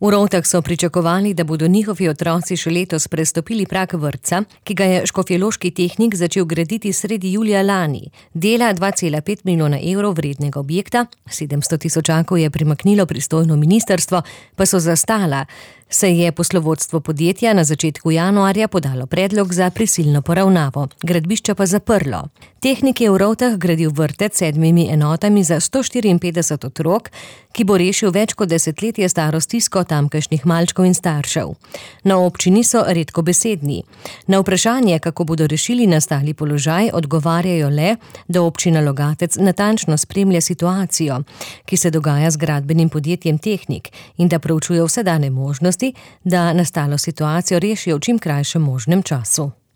V Rovtah so pričakovali, da bodo njihovi otroci še letos prestopili prag vrtca, ki ga je škofjeloški tehnik začel graditi sredi julija lani. Dela 2,5 milijona evrov vrednega objekta, 700 tisočakov je primaknilo pristojno ministrstvo, pa so zastala, se je poslovodstvo podjetja na začetku januarja podalo predlog za prisilno poravnavo, gradbišče pa zaprlo. Tehnik je v Rovtah gradil vrtec s 7 enotami za 154 otrok, ki bo rešil več kot desetletje staro stisko tamkajšnjih malčkov in staršev. Na občini so redkobesedni. Na vprašanje, kako bodo rešili nastali položaj, odgovarjajo le, da občina Logatec natančno spremlja situacijo, ki se dogaja z gradbenim podjetjem Tehnik, in da proučuje vse dane možnosti, da nastalo situacijo rešijo v čim krajšem možnem času.